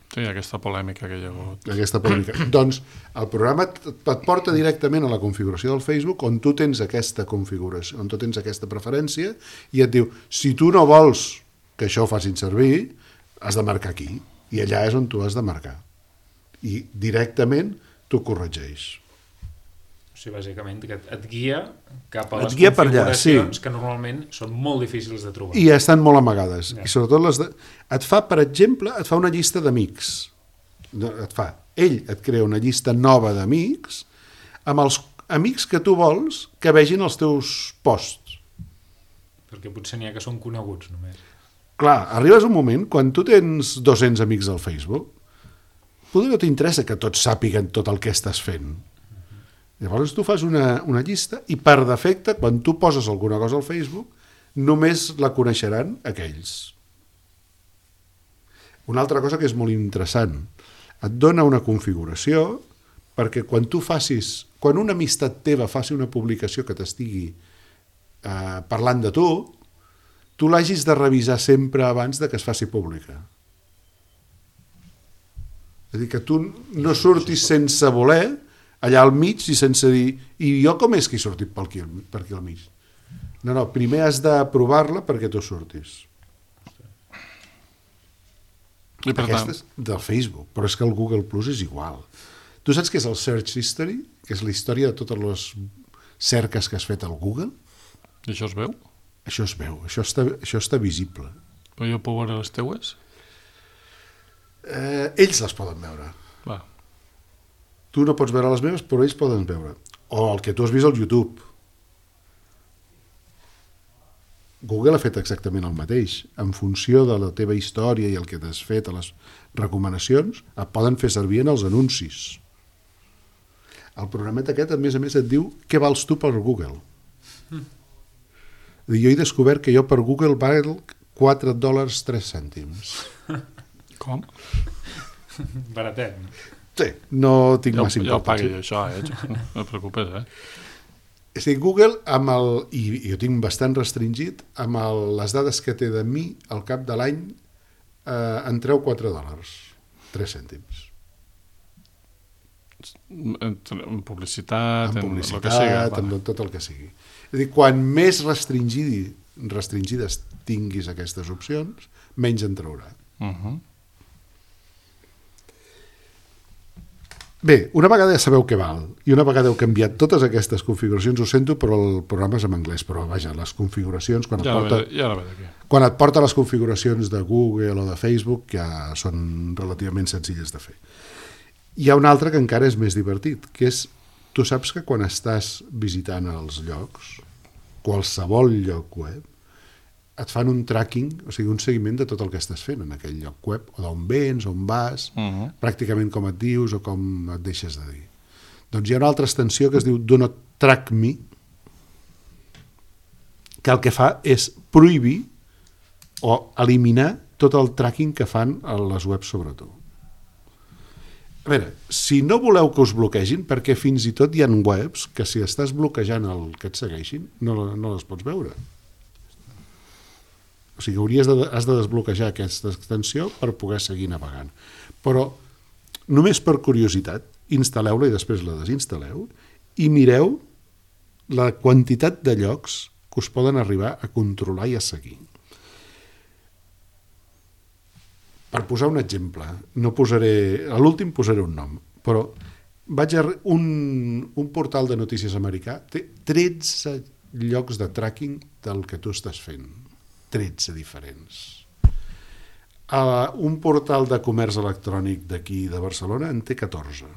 Sí, aquesta polèmica que hi ha hagut. Aquesta polèmica. Doncs el programa et porta directament a la configuració del Facebook on tu tens aquesta configuració, on tu tens aquesta preferència i et diu, si tu no vols que això ho facin servir, has de marcar aquí. I allà és on tu has de marcar. I directament t'ho corregeix. O sigui, bàsicament, que et guia cap a les configuracions que normalment són molt difícils de trobar. I estan molt amagades. I sobretot et fa, per exemple, et fa una llista d'amics. Ell et crea una llista nova d'amics amb els amics que tu vols que vegin els teus posts. Perquè potser n'hi ha que són coneguts, només. Clar, arribes un moment, quan tu tens 200 amics al Facebook, potser no t'interessa que tots sàpiguen tot el que estàs fent. Llavors tu fas una llista i per defecte, quan tu poses alguna cosa al Facebook, només la coneixeran aquells. Una altra cosa que és molt interessant, et dona una configuració perquè quan una amistat teva faci una publicació que t'estigui parlant de tu l'hagis de revisar sempre abans de que es faci pública. És a dir, que tu no surtis sense voler allà al mig i sense dir i jo com és que he sortit per aquí al mig? No, primer has d'aprovar-la perquè tu surtis. Aquesta és del Facebook, però és que el Google Plus és igual. Tu saps què és el Search History? Que és la història de totes les cerques que has fet al Google? I això es veu? Això es veu, això està visible. Però jo puc veure les teues? Ells les poden veure. Va. Tu no pots veure les meves, però ells poden veure. O el que tu has vist al YouTube. Google ha fet exactament el mateix. En funció de la teva història i el que t'has fet a les recomanacions, et poden fer servir en els anuncis. El programet aquest, a més, et diu què vals tu per Google. Jo he descobert que jo per Google val $4.03. Com? Baratet. Sí, no tinc massa importància. Jo pagui això, no et preocupes, És a dir, Google, i jo tinc bastant restringit, amb les dades que té de mi, al cap de l'any, en treu $4.03. En publicitat, en el que sigui. En tot el que sigui. És a dir, quan més restringides tinguis aquestes opcions, menys en traurà. Bé, una vegada ja sabeu què val i una vegada heu canviat totes aquestes configuracions, ho sento, però el programa és en anglès, però vaja, les configuracions quan et porta les configuracions de Google o de Facebook ja són relativament senzilles de fer. Hi ha un altre que encara és més divertit, que és, tu saps que quan estàs visitant els llocs, qualsevol lloc web, et fan un tracking, o sigui, un seguiment de tot el que estàs fent en aquell lloc web, o d'on vens, on vas, pràcticament com et dius o com et deixes de dir. Doncs hi ha una altra extensió que es diu Do Not Track Me, que el que fa és prohibir o eliminar tot el tracking que fan a les webs sobre tu. A veure, si no voleu que us bloquegin, perquè fins i tot hi ha webs que si estàs bloquejant el que et segueixin, no les pots veure. O sigui, has de desbloquejar aquesta extensió per poder seguir navegant. Però, només per curiositat, instal·leu-la i després la desinstal·leu i mireu la quantitat de llocs que us poden arribar a controlar i a seguir. Per posar un exemple, a l'últim posaré un nom, però un portal de notícies americà té 13 llocs de tracking del que tu estàs fent. 13 diferents. Un portal de comerç electrònic d'aquí de Barcelona en té 14.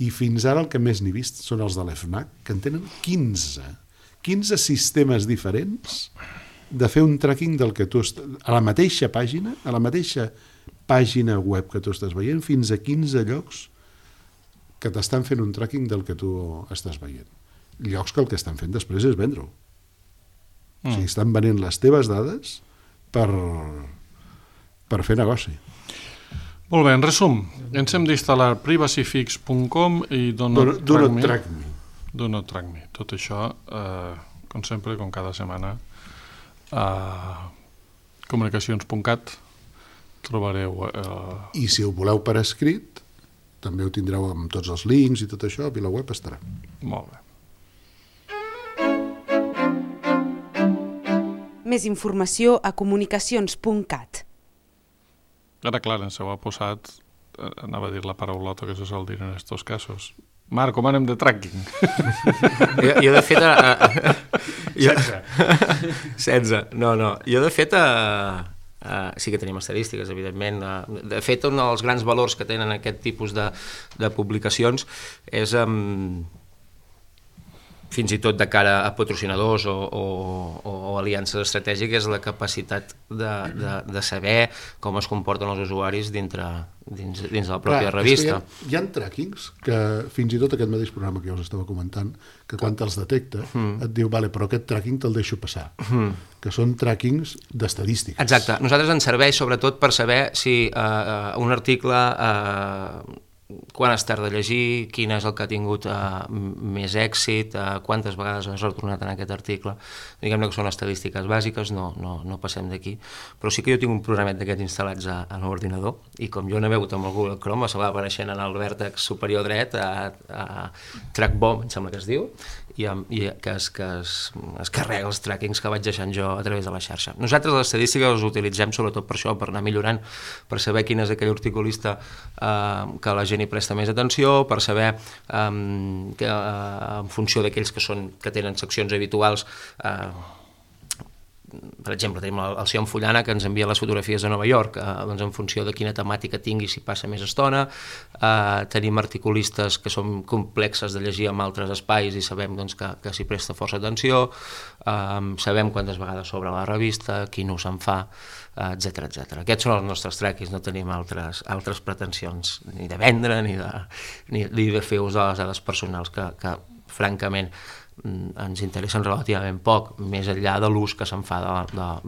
I fins ara el que més n'he vist són els de l'FNAC, que en tenen 15. 15 sistemes diferents de fer un tracking del que tu a la mateixa pàgina web que tu estàs veient, fins a 15 llocs que t'estan fent un tracking del que tu estàs veient. Llocs que el que estan fent després és vendre-ho. O sigui, estan venent les teves dades per fer negoci. Molt bé, en resum, ens hem d'instal·lar privacyfix.com i Do Not Track Me. Do Not Track Me. Tot això, com sempre, com cada setmana, a comunicacions.cat trobareu... I si ho voleu per escrit, també ho tindreu amb tots els links i tot això, a VilaWeb estarà. Molt bé. Més informació a comunicacions.cat. Ara, clar, ens ho ha posat, anava a dir la paraulota que se sol dir en aquests casos. Marc, com anem de tracking? Jo de fet... 16. No. Jo de fet... sí que tenim estadístiques, evidentment. De fet, un dels grans valors que tenen aquest tipus de publicacions és... fins i tot de cara a patrocinadors o aliances estratègiques, la capacitat de saber com es comporten els usuaris dins de la pròpia revista. Hi ha trackings que fins i tot aquest mateix programa que jo us estava comentant, que quan te'ls detecta et diu, vale, però aquest tracking te'l deixo passar, que són trackings d'estadístiques. Exacte. Nosaltres ens serveix sobretot per saber si un article quan has tard de llegir, quin és el que ha tingut més èxit, quantes vegades has retornat en aquest article. Diguem-ne que són estadístiques bàsiques, no passem d'aquí. Però sí que jo tinc un programet d'aquests instal·lats a l'ordinador i com jo navego amb el Google Chrome, se va apareixent en el vèrtex superior dret a TrackBomb, em sembla que es diu, i que es carrega els trackings que vaig deixant jo a través de la xarxa. Nosaltres les estadístiques les utilitzem sobretot per això, per anar millorant, per saber quin és aquell articulista que la gent hi presta més atenció, per saber que en funció d'aquells que tenen seccions habituals, per exemple, tenim el Sion Fullana que ens envia les fotografies de Nova York, doncs en funció de quina temàtica tingui s'hi passa més estona. Tenim articulistes que són complexes de llegir en altres espais i sabem doncs, que s'hi presta força atenció, sabem quantes vegades s'obre la revista, quin ús se'n fa, etc. Aquests són els nostres trackings, no tenim altres pretensions ni de vendre ni de fer ús de les dades personals que francament ens interessen relativament poc, més enllà de l'ús que se'n fa de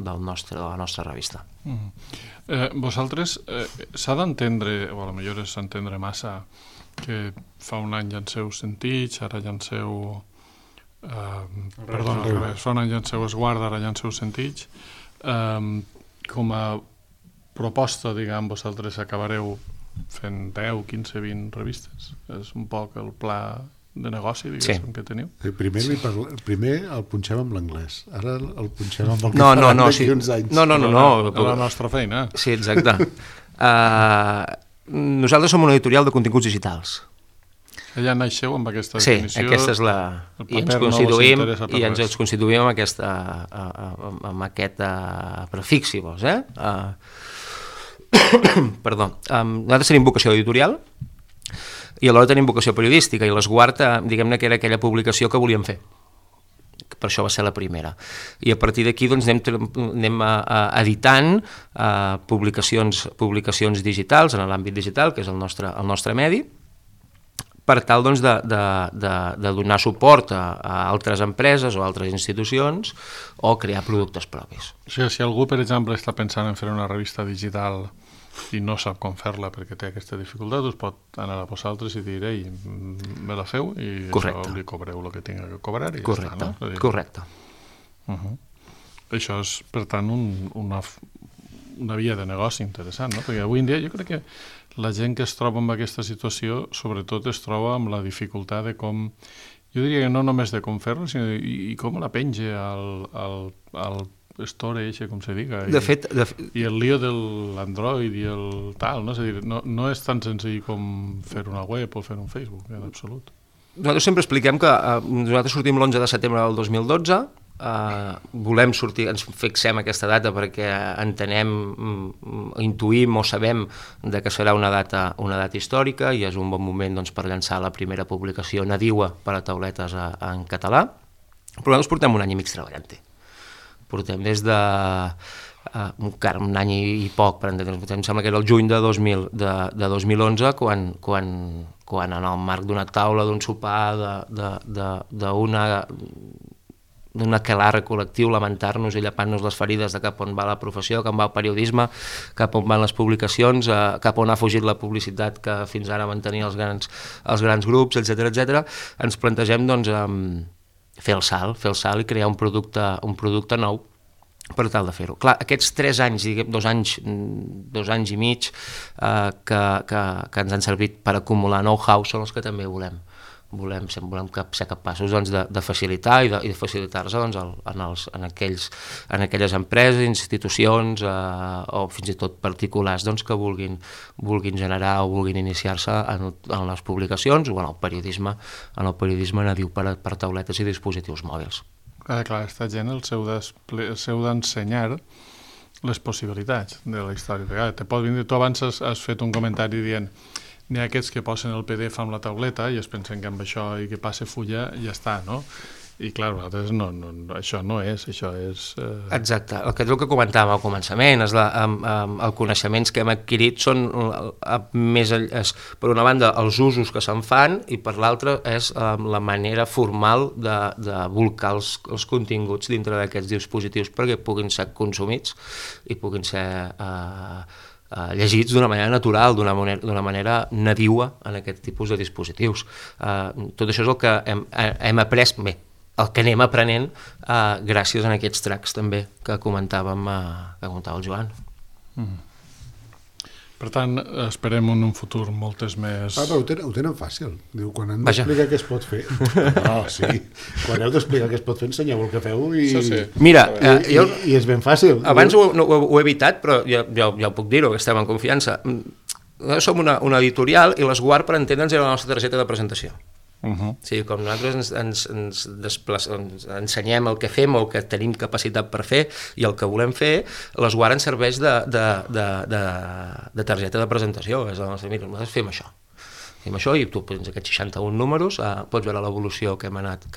la nostra revista. Vosaltres s'ha d'entendre, o potser s'entendre massa, que fa un any llanceu Sentits, ara llanceu... fa un any llanceu Esguarda, ara llanceu Sentits. Com a proposta, diguem, vosaltres acabareu fent 10, 15, 20 revistes? És un poc el pla de negoci, diguéssim, que teniu? Primer el punxem amb l'anglès, ara el punxem amb el català d'aquí uns anys. No. La nostra feina. Sí, exacte. Nosaltres som una editorial de continguts digitals. Allà naixeu amb aquesta definició. Sí, aquesta és la... I ens constituïm amb aquest prefix, si vols. Perdó. Nosaltres tenim vocació editorial, i alhora tenim vocació periodística, i l'Esguard, diguem-ne que era aquella publicació que volíem fer. Per això va ser la primera. I a partir d'aquí doncs, anem editant publicacions digitals, en l'àmbit digital, que és el nostre medi, per tal doncs, de donar suport a altres empreses o altres institucions o crear productes propis. O sigui, si algú, per exemple, està pensant en fer una revista digital i no sap com fer-la perquè té aquesta dificultat, us pot anar a vosaltres i dir, ei, me la feu i això li cobreu el que tinga que cobrar i correcte, ja està, no? Correcte. Això és, per tant, una via de negoci interessant, no? Perquè avui en dia jo crec que la gent que es troba en aquesta situació sobretot es troba amb la dificultat de com, jo diria que no només de com fer-lo, sinó i com la penja al storage, com se diga, i el lío de l'Android i el tal, no? És a dir, no és tan senzill com fer una web o fer un Facebook, en absolut. Nosaltres sempre expliquem que nosaltres sortim l'11 de setembre del 2012, volem sortir, ens fixem aquesta data perquè entenem, intuïm o sabem que serà una data històrica i és un bon moment doncs, per llançar la primera publicació nadiua per a tauletes en català, però nosaltres portem un any i mig treballant-hi. Portem des de un any i poc, per entendre'ns, em sembla que era el juny de 2011 quan en el marc d'una taula, d'un sopar, d'un aquelarre col·lectiu, lamentar-nos i llepant-nos les ferides de cap on va la professió, cap on va el periodisme, cap on van les publicacions, cap on ha fugit la publicitat que fins ara mantenia els grans grups, etc. Ens plantegem doncs, fer el salt i crear un producte nou per tal de fer-ho. Clar, aquests 3 anys, 2 anys i mig que ens han servit per acumular know-how són els que també volem ser capaços doncs, de facilitar i de facilitar-se doncs, en aquelles empreses, institucions o fins i tot particulars doncs, que vulguin generar o vulguin iniciar-se en les publicacions o en el periodisme nadiu per tauletes i dispositius mòbils. Clar, aquesta gent el seu d'ensenyar les possibilitats de la història. Te pot venir, tu abans has fet un comentari dient n'hi ha aquests que posen el PDF amb la tauleta i es pensen que amb això i que passe fulla ja està, no? I clar, nosaltres això no és, això és... Exacte, el que comentàvem al començament és els coneixements que hem adquirit són més, per una banda, els usos que se'n fan i per l'altra és la manera formal de volcar els continguts dintre d'aquests dispositius perquè puguin ser consumits i puguin ser llegits d'una manera natural, d'una manera nadiua en aquest tipus de dispositius. Tot això és el que hem après, bé, el que anem aprenent gràcies a aquests tracks també que comentava el Joan. Per tant, esperem en un futur moltes més... Però ho tenen fàcil. Diu, quan hem d'explicar què es pot fer... No, sí. Quan heu d'explicar què es pot fer, ensenyeu el que feu i... Mira, i és ben fàcil. Abans ho he evitat, però ja ho puc dir-ho, que estem en confiança. Som una editorial i l'Esguard, per entendre'ns, era la nostra targeta de presentació. Sí, com nosaltres ens ensenyem el que fem o el que tenim capacitat per fer i el que volem fer, l'Esguard ens serveix de targeta de presentació. És el nostre, mira, nosaltres fem això i tu tens aquests 61 números, pots veure l'evolució que ha anat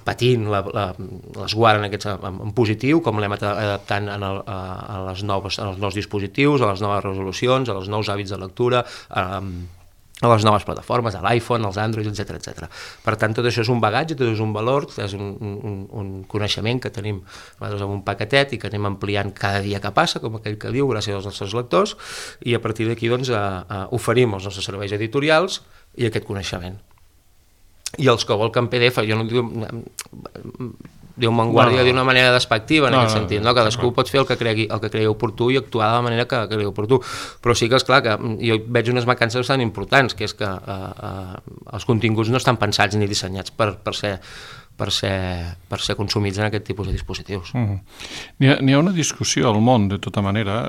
patint l'Esguard en positiu, com l'hem adaptant als nous dispositius, a les noves resolucions, als nous hàbits de lectura, a les noves plataformes, a l'iPhone, als Android, etc. Per tant, tot això és un bagatge, tot és un valor, és un coneixement que tenim nosaltres en un paquetet i que anem ampliant cada dia que passa, com aquell que diu, gràcies als nostres lectors, i a partir d'aquí oferim els nostres serveis editorials i aquest coneixement. I els que vol que en PDF, jo no diu Vanguardia d'una manera despectiva en aquest sentit, cadascú pot fer el que cregui oportú i actuar de la manera que cregui oportú, però sí que és clar que jo veig unes mancances bastant importants, que és que els continguts no estan pensats ni dissenyats per ser consumits en aquest tipus de dispositius. N'hi ha una discussió al món, de tota manera,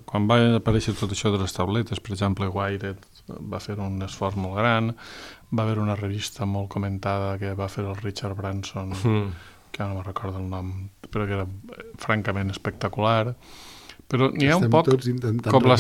quan va aparèixer tot això de les tabletes, per exemple, Wired va fer un esforç molt gran, va haver una revista molt comentada que va fer el Richard Branson, que no me'n recordo el nom, però que era francament espectacular. Però n'hi ha un poc... Estem tots intentant recordar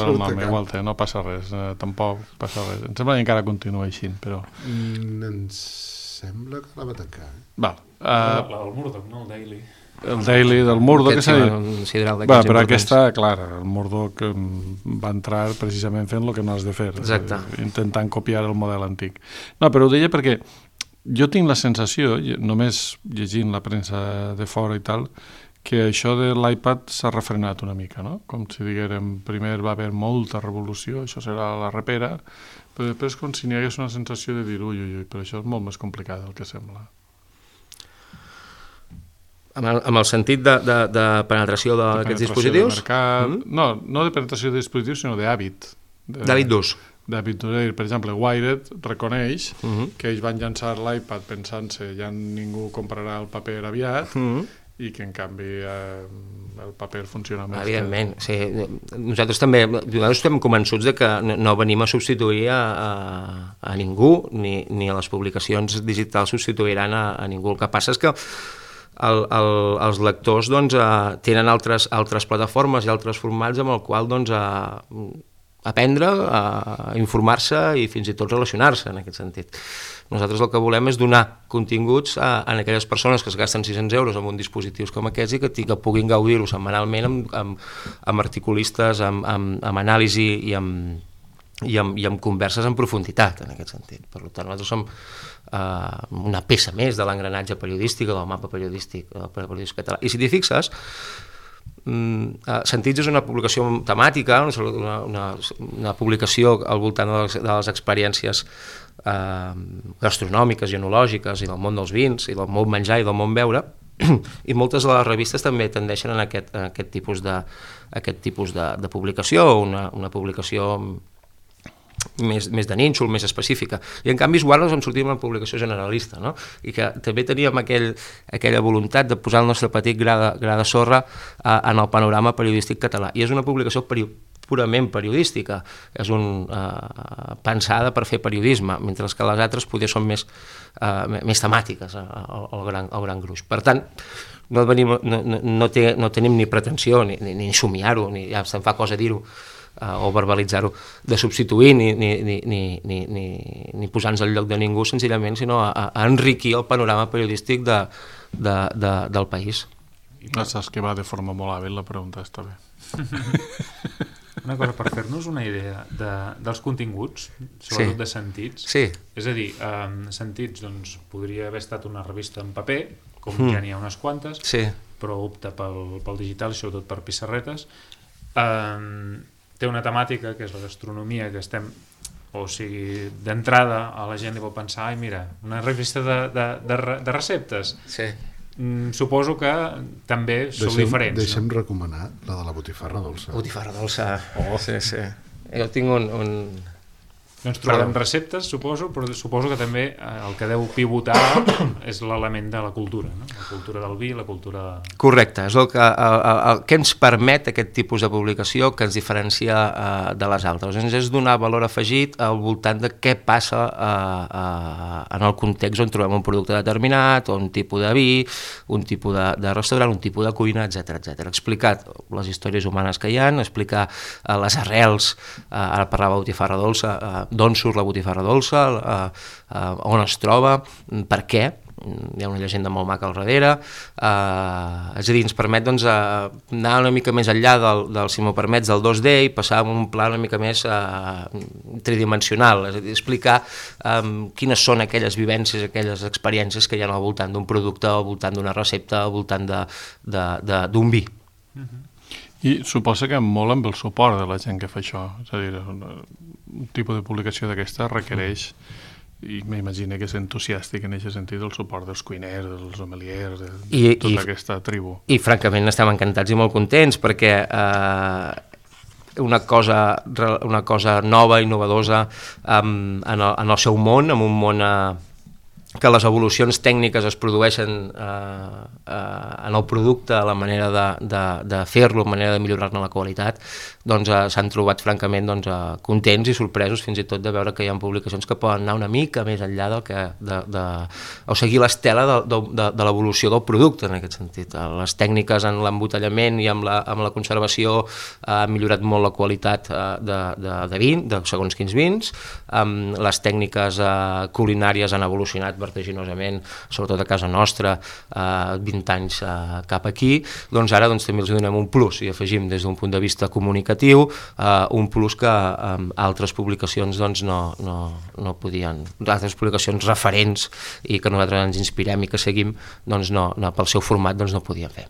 el nom, igual no passa res, tampoc passa res. Em sembla que encara continua així, però... Em sembla que la va tancar. El Murdoch, no? El Daily. El Daily del Murdoch, però aquesta, clar, el Murdoch va entrar precisament fent el que no has de fer, intentant copiar el model antic. No, però ho deia perquè jo tinc la sensació, només llegint la premsa de fora i tal, que això de l'iPad s'ha refrenat una mica, no? Com si diguérem, primer va haver molta revolució, això serà la repera, però després com si n'hi hagués una sensació de dir ui, però això és molt més complicat del que sembla. Amb el sentit de penetració d'aquests dispositius? No de penetració de dispositius, sinó d'hàbit. D'hàbit d'ús. D'hàbit d'ús. Per exemple, Wired reconeix que ells van llançar l'iPad pensant-se ja ningú comprarà el paper aviat i que en canvi el paper funciona més. Evidentment, sí. Nosaltres també estem convençuts de que no venim a substituir a ningú, ni a les publicacions digitals substituiran a ningú. El que passa és que els lectors tenen altres plataformes i altres formats amb el qual aprendre, informar-se i fins i tot relacionar-se en aquest sentit. Nosaltres el que volem és donar continguts a aquelles persones que es gasten 600 euros en un dispositius com aquests i que puguin gaudir-ho setmanalment amb articulistes, amb anàlisi i amb converses en profunditat en aquest sentit. Per tant, nosaltres som una peça més de l'engranatge periodístic, del mapa periodístic català. I si t'hi fixes, Sentits és una publicació temàtica, una publicació al voltant de les experiències gastronòmiques i enològiques i del món dels vins i del món menjar i del món beure, i moltes de les revistes també tendeixen a aquest tipus de publicació, una publicació més de nínxol, més específica. I en canvi Esguard ens sortim una publicació generalista, no? I que també teníem aquella voluntat de posar el nostre petit gra de sorra en el panorama periodístic català. I és una publicació purament periodística, és pensada per fer periodisme, mentre que les altres potser són més temàtiques al gran gruix. Per tant, no tenim ni pretensió ni somiar-ho, ni ja se'n fa cosa dir-ho, o verbalitzar-ho, de substituir ni posar-nos al lloc de ningú senzillament, sinó a enriquir el panorama periodístic del país. Saps que va de forma molt hàbil la pregunta, està bé. Una cosa, per fer-nos una idea dels continguts, sobretot de Sentits, sí. És a dir, Sentits podria haver estat una revista en paper, com ja n'hi ha unes quantes, però opta pel digital, sobretot per pissarretes. Té una temàtica que és la gastronomia, que estem, o sigui, d'entrada a la gent li pot pensar, ai mira, una revista de receptes. Suposo que també sou diferents. Deixa'm recomanar la de la botifarra dolça. Botifarra dolça, sí. Jo tinc un... Doncs trobem receptes, suposo, però suposo que també el que deu pivotar és l'element de la cultura, no? La cultura del vi, la cultura... Correcte, és el que ens permet aquest tipus de publicació, que ens diferencia de les altres. Ens és donar valor afegit al voltant de què passa en el context on trobem un producte determinat, o un tipus de vi, un tipus de restaurant, un tipus de cuina, etc. Explicar les històries humanes que hi ha, explicar les arrels, ara parlava de botifarra dolça, d'on surt la botifarra dolça, on es troba, per què, hi ha una llegenda molt maca al darrere, és a dir, ens permet anar una mica més enllà del, si m'ho permets, del 2D i passar a un pla una mica més tridimensional, és a dir, explicar quines són aquelles vivències, aquelles experiències que hi ha al voltant d'un producte, al voltant d'una recepta, al voltant d'un vi. I suposa que molt amb el suport de la gent que fa això, és a dir, un tipus de publicació d'aquesta requereix, i m'imagino que és entusiàstic en aquest sentit, el suport dels cuiners, dels sommeliers, de tota aquesta tribu. I francament estem encantats i molt contents, perquè una cosa nova, innovadosa en el seu món, en un món que les evolucions tècniques es produeixen en el producte, la manera de fer-lo, la manera de millorar-ne la qualitat, doncs s'han trobat francament contents i sorpresos fins i tot de veure que hi ha publicacions que poden anar una mica més enllà o seguir l'estela de l'evolució del producte en aquest sentit. Les tècniques en l'embotellament i amb la conservació han millorat molt la qualitat de vi, de segons quins vins, les tècniques culinàries han evolucionat vertiginosament, sobretot a casa nostra, 20 anys cap aquí, doncs ara també els donem un plus i afegim des d'un punt de vista comunicatiu un plus que altres publicacions no podien, altres publicacions referents i que nosaltres ens inspirem i que seguim, doncs pel seu format no podien fer.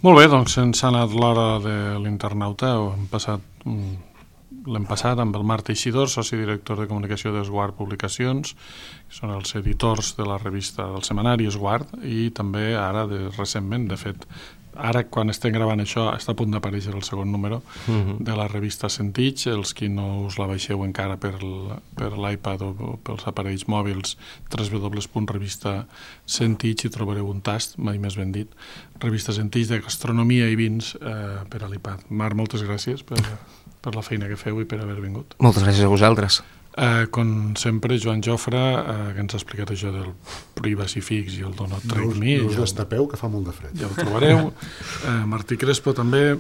Molt bé, doncs ens ha anat l'hora de l'internauta, l'hem passat amb el Marc Teixidor, soci director de comunicació d'Esguard Publicacions, que són els editors de la revista del setmanari Esguard, i també ara, recentment, de fet, ara quan estem gravant això està a punt d'aparèixer el segon número de la revista Sentits. Els qui no us la baixeu encara per l'iPad o pels aparells mòbils, www.revistasentits, hi trobareu un tast, mai més ben dit, revista Sentits de gastronomia i vins per a l'iPad. Marc, moltes gràcies per la feina que feu i per haver vingut. Moltes gràcies a vosaltres. Com sempre, Joan Jofre, que ens ha explicat això del Privacy Fix i el Don't Trade Me. No us destapeu, que fa molt de fred. Ja ho trobareu. Martí Crespo també,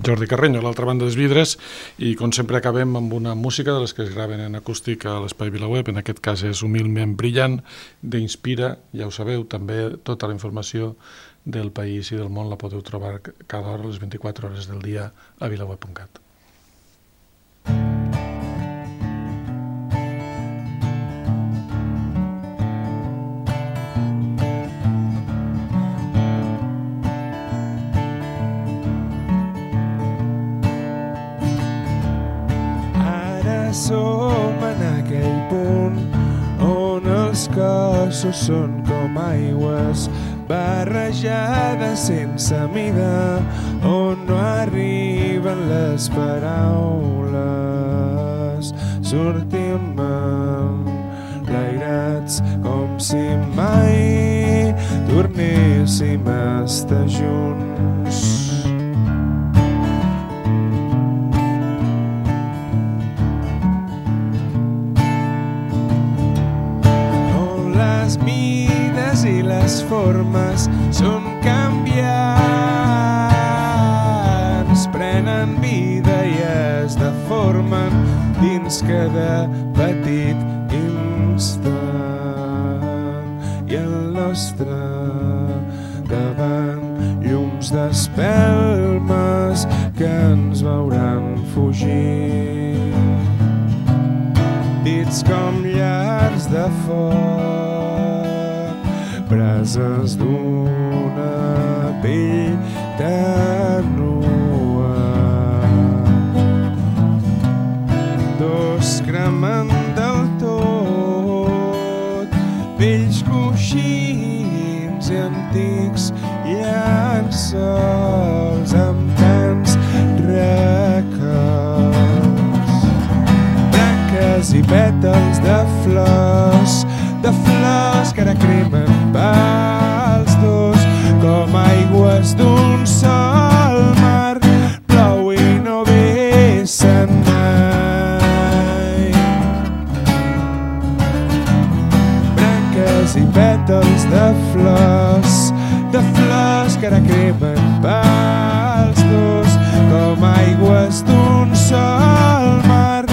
Jordi Carreño a l'altra banda dels vidres, i com sempre acabem amb una música de les que es graven en acústic a l'Espai VilaWeb, en aquest cas és Humilment Brillant, d'Inspira, ja ho sabeu, també tota la informació del país i del món la podeu trobar cada hora, les 24 hores del dia, a vilaweb.cat. Ara som en aquell punt on els cossos són com aigües barrejades sense mida, on no arriben les paraules. Sortim enlairats com si mai tornéssim a estar junts. I les formes són canviants, prenen vida i es deformen dins cada petit instant. I al nostre davant llums d'espelmes que ens veuran fugir, dits com llars de foc, preses d'una pell ternua. Dos cremant del tot, vells coixins i antics llençols amb tants records. Branques i pètals de flors que ara cremen pels dos, com aigües d'un sol mar, plou i no vessen mai. Branques i pètals de flors que ara cremen pels dos, com aigües d'un sol mar,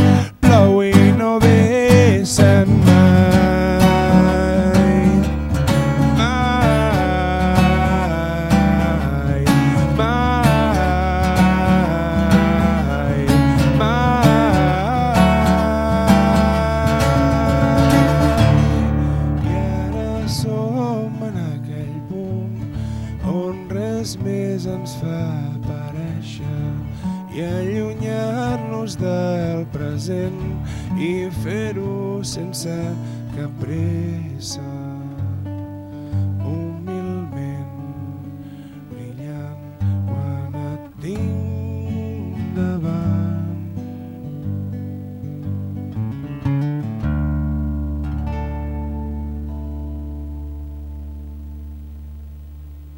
plou i no vessen mai. Del present i fer-ho sense cap pressa.